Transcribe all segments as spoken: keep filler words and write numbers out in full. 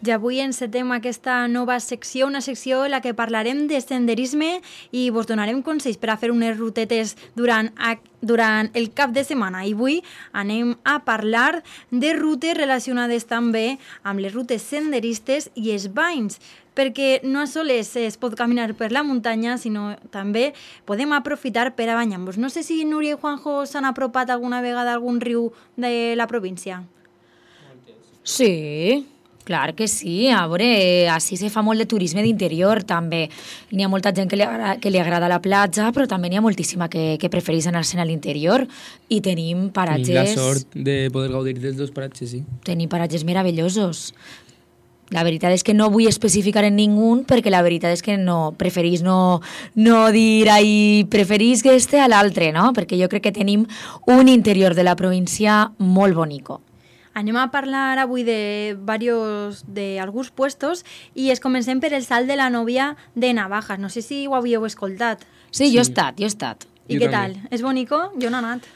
I avui encetem aquesta nova secció, una secció en la que parlarem de senderisme i vos donarem consells per a fer unes rutetes durant, durant el cap de setmana. I avui anem a parlar de rutes relacionades també amb les rutes senderistes i els banys, perquè no sols es pot caminar per la muntanya, sinó també podem aprofitar per a banyar-nos. No sé si Núria i Juanjo s'han apropat alguna vegada a algun riu de la província. Sí, clar que sí. A veure, així se fa molt de turisme d'interior, també. N'hi ha molta gent que li agrada, que li agrada la platja, però també n'hi ha moltíssima que, que prefereix anar-se'n a l'interior. I tenim paratges... Tenim la sort de poder gaudir dels dos paratges, sí. Tenim paratges meravellosos. La veritat és que no vull especificar en ningú, perquè la veritat és que no preferís no, no dir ai, preferís que este a l'altre, no? Perquè jo crec que tenim un interior de la província molt bonico. Anem a parlar avui de varios, de alguns puestos i es comencem per el Salt de la Novia de Navajas. No sé si ho havíeu escoltat. Sí, jo he estat, jo he estat. I què tal? És bonico? Jo no he anat.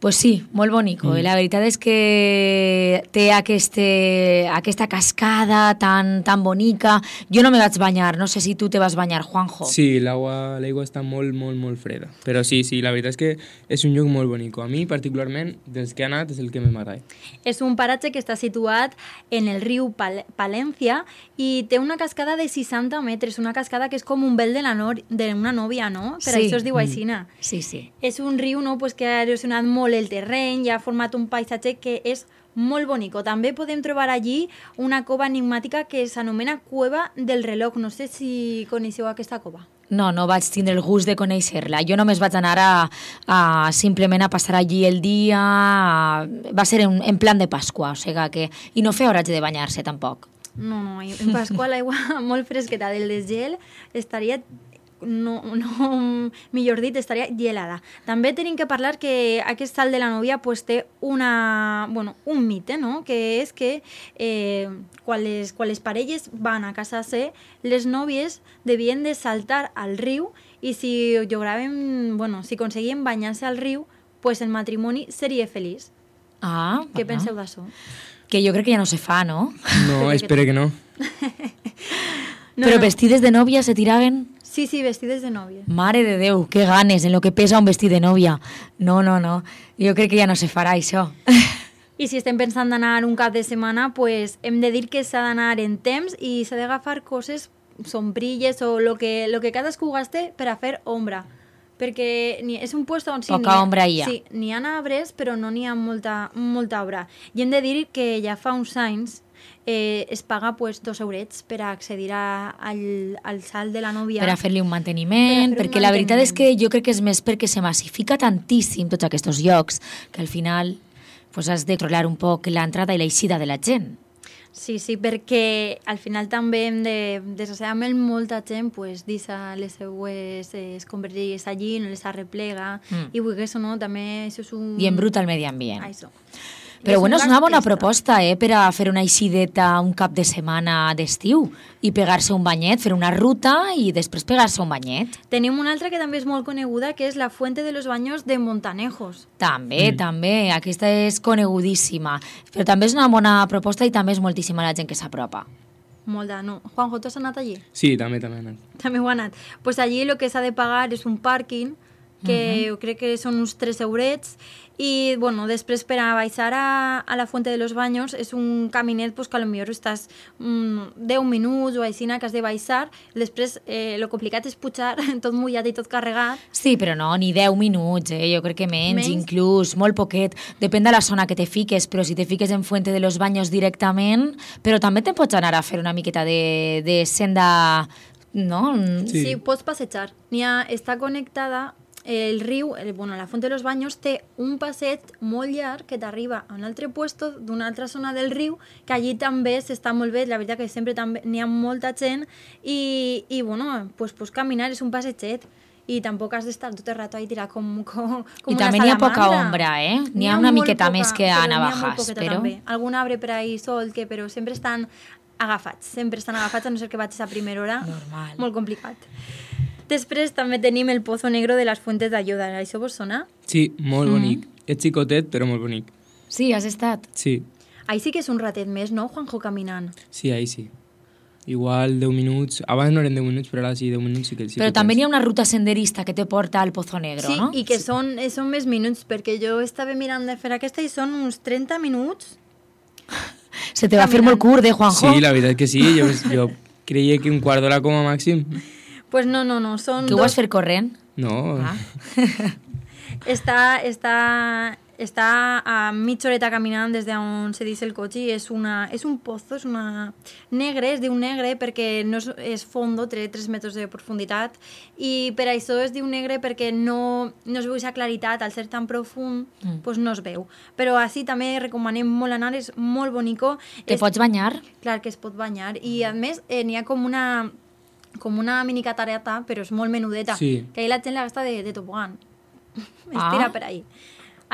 Pues sí, molt bonico. Mm. La veritat és que té este, aquesta cascada tan, tan bonica. Jo no me vaig banyar, no sé si tu te vas banyar, Juanjo. Sí, l'aigua l'aigua està molt, molt, molt freda. Però sí, sí, la veritat és que és un lloc molt bonico. A mi, particularment, dels que he anat, és el que més m'agrada. És un paratge que està situat en el riu Pal Palència i té una cascada de seixanta metres, una cascada que és com un vel de la no d'una nòvia, no? Per sí. això es diu aixina. Mm. Sí, sí. És un riu, no?, pues, que ha erosionat molt el terreny i ha format un paisatge que és molt bonico. També podem trobar allí una cova enigmàtica que s'anomena Cueva del Reloj. No sé si coneixeu aquesta cova. No, no vaig tindre el gust de conèixer-la. Jo només vaig anar a, a simplement a passar allí el dia. A, va ser en, en plan de Pasqua, o sigui que... I no fer horatge de banyar-se, tampoc. No, no, en Pasqua l'aigua molt fresqueta del desgel estaria... No, no, millor dit, estaria gelada. També tenim que parlar que aquest Salt de la Novia pues, té una, bueno, un mite, no? Que és que eh, quan, les, quan les parelles van a casar-se, les nòvies devien de saltar al riu i si llogaven, bueno, si aconseguien banyar-se al riu, pues el matrimoni seria feliç. Ah, Què ah. penseu d'això? Que jo crec que ja no se fa, no? No, espero que no. no Però no. vestides de nòvia se tiraven... Sí, sí, vestides de nòvia. Mare de Déu, que ganes en lo que pesa un vestit de nòvia. No, no, no. Jo crec que ja no se farà això. I si estem pensant d'anar un cap de setmana, pues hem de dir que s'ha d'anar en temps i s'ha d'agafar coses, sombrilles o lo que, lo que cadascú gaste per a fer ombra. Perquè ni, és un lloc on sí, poca ombra hi ha. Sí, n'hi ha arbres, però no n'hi ha molta, molta obra. I hem de dir que ja fa uns anys eh, es paga pues, dos eurets per a accedir a, al, al Salt de la Novia. Per a fer-li un manteniment, fer perquè un la veritat manteniment. és que jo crec que és més perquè se massifica tantíssim tots aquests llocs que al final pues, has de controlar un poc l'entrada i l'eixida de la gent. Sí, sí, perquè al final també hem de, desgraciadament, molta gent pues, deixa les seues eh, escombraries allí, no les arreplega, mm. i vull que això no, també això és un... I embruta el medi ambient. Això. Però és bueno, un és una bona extra. proposta, eh, per a fer una eixideta un cap de setmana d'estiu i pegar-se un banyet, fer una ruta i després pegar-se un banyet. Tenim una altra que també és molt coneguda, que és la Fuente de los Baños de Montanejos. També, Mm. també, aquesta és conegudíssima. Però també és una bona proposta i també és moltíssima la gent que s'apropa. Molt de... No. Juanjo, tu has anat allí? Sí, també, també he anat. També ho ha anat. Pues allí el que s'ha de pagar és un pàrquing, que uh-huh. jo crec que són uns tres eurets, i bueno, després per a baixar a, a la Fuente de los Baños és un caminet pues, que potser estàs mm, deu minuts o així que has de baixar, després eh, lo complicat és pujar tot mullat i tot carregat. Sí, però no, ni deu minuts, eh? Jo crec que menys, Menys? inclús, molt poquet. Depèn de la zona que te fiques, però si te fiques en Fuente de los Baños directament, però també te pots anar a fer una miqueta de, de senda, no? Sí, Sí. sí pots passejar. N'hi ha, està connectada. El riu, el, bueno, la Font de los Baños té un passeig molt llarg que t'arriba a un altre puesto d'una altra zona del riu, que allí també s'està molt bé, la veritat que sempre també n'hi ha molta gent i, i bueno, pues, pues caminar és un passeget i tampoc has d'estar tot el rato ahí tirat com, com, com I una també n'hi ha poca salamandra. ombra, eh? N'hi ha una molt miqueta poca, més que però a n'hi ha molt Navajas, poqueta però... també. Algun arbre per ahí sol, que, però sempre estan agafats, sempre estan agafats, a no ser que vagis a primera hora. Normal. Molt complicat. Després també tenim el Pozo Negro de les Fuentes d'Ayuda. Això vos sona? Sí, molt Mm. bonic. És xicotet, però molt bonic. Sí, has estat. Sí, Ahí sí que és un ratet més, no, Juanjo, caminant? sí, ahí sí. igual deu minuts. Abans no eren deu minuts, però ara sí, deu minuts sí que sí. Però que també tens. hi ha una ruta senderista que te porta al Pozo Negro, Sí, no? i que són, eh, són més minuts, perquè jo estava mirant de fer aquesta i són uns trenta minuts. Se te va fer molt curt, eh, Juanjo? Sí, la veritat que sí. Jo, jo creia que un quart d'hora com a màxim. Pues no, no, no, són Tu ho dos... vas fer corrent? No. Ah. Està, està, està a mitja horeta caminant des d'on se deixa el cotxe i és, una, és un pozo, és una negre, es diu negre perquè no és, és fondo, té tres metres de profunditat i per això es diu negre perquè no, no es veu aquesta claritat, al ser tan profund mm. pues no es veu. Però així també recomanem molt anar, és molt bonico. Te és, pots banyar? Clar que es pot banyar i a més eh, n'hi ha com una com una mini catarata, però és molt menudeta, sí. que ahí la gent la gasta de, de tobogan. Es tira Ah. per ahí.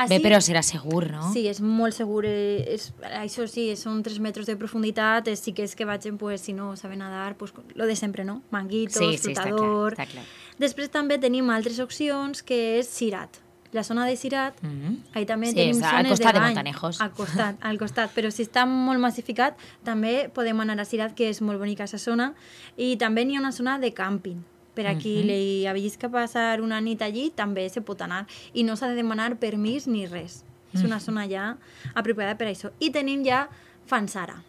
Bé, però serà segur, no? Sí, és molt segur. eh, És, això sí, són tres metres de profunditat. eh, Sí que és que vagin, pues, si no saben nadar, pues, lo de sempre, no? Manguitos, Sí, sí, està clar, flotador... està clar. Després també tenim altres opcions, que és Sirat. La zona de Sirat, Mhm. ahí també Sí, tenim és al zones costat de bany. Montanejos. Al costat, al costat. Però si està molt massificat, també podem anar a Sirat, que és molt bonica aquesta zona. I també n'hi ha una zona de càmping. Per aquí Mhm. li havies que passar una nit allí, també se pot anar. I no s'ha de demanar permís ni res. És una zona ja apropiada per això. I tenim ja Fanzara.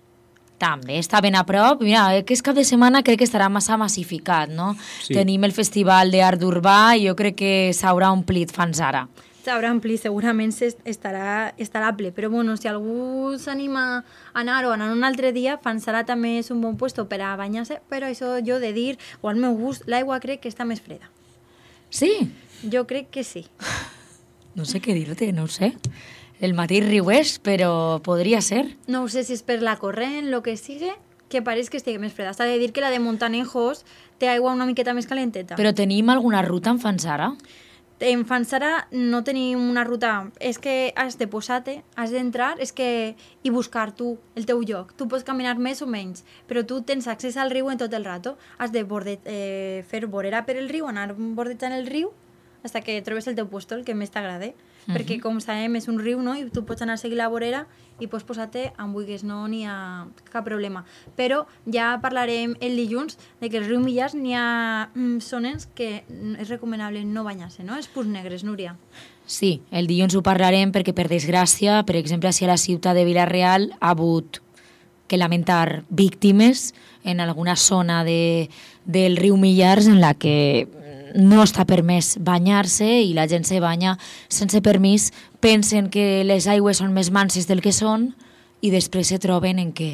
També està ben a prop. Mira, aquest cap de setmana crec que estarà massa massificat, no? Sí. Tenim el Festival d'Art Urbà i jo crec que s'haurà omplit Fanzara. S'haurà ampli, segurament estarà, estarà ple, però bueno, si algú s'anima a anar o a anar un altre dia, Fanzara també és un bon puesto per a banyar-se, però això jo de dir, o al meu gust, l'aigua crec que està més freda. Sí? Jo crec que sí. No sé què dir-te, no ho sé. El mateix riués, però podria ser. No sé si és per la corrent, el que sigui, que pareix que estigui més freda. S'ha de dir que la de Montanejos té aigua una miqueta més calenteta. Però tenim alguna ruta en Fanzara? En Fanzara no tenim una ruta, és que has de posar-te, has d'entrar, és que i buscar tu el teu lloc. Tu pots caminar més o menys, però tu tens accés al riu en tot el rato. Has de borde, eh, fer vorera per el riu, anar bordejant el riu, fins que trobes el teu puesto, el que més t'agrada. Uh-huh. Perquè, com sabem, és un riu, no? I tu pots anar a seguir la vorera i pots posar-te on vulguis, no n'hi ha cap problema. Però ja parlarem el dilluns de que el riu Millars n'hi ha mm, zones que és recomanable no banyar-se, no? Els punts negres, Núria. Sí, el dilluns ho parlarem perquè, per desgràcia, per exemple, si a la ciutat de Vila-real ha hagut que lamentar víctimes en alguna zona de, del riu Millars en la que no està permès banyar-se i la gent se banya sense permís, pensen que les aigües són més manses del que són i després se troben en què...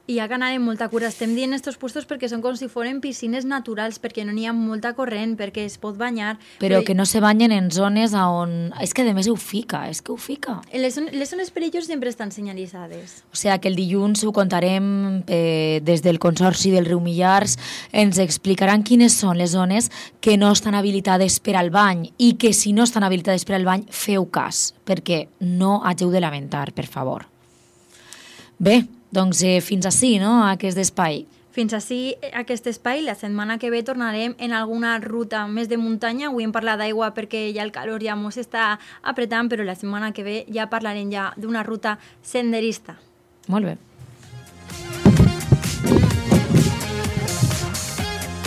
I ha que anar amb molta cura. Estem dient estos puestos perquè són com si foren piscines naturals, perquè no n'hi ha molta corrent, perquè es pot banyar. Però que no se banyen en zones on... És que a més ho fica, és que ho fica. Les, les zones perilloses sempre estan senyalitzades. O sigui que el dilluns ho contarem eh, des del Consorci del riu Millars, ens explicaran quines són les zones que no estan habilitades per al bany i que si no estan habilitades per al bany feu cas, perquè no hageu de lamentar, per favor. Bé, doncs eh, fins ací, no?, aquest espai. Fins ací aquest espai. La setmana que ve tornarem en alguna ruta més de muntanya. Avui hem parlat d'aigua perquè ja el calor ja mos està apretant, però la setmana que ve ja parlarem ja d'una ruta senderista. Molt bé.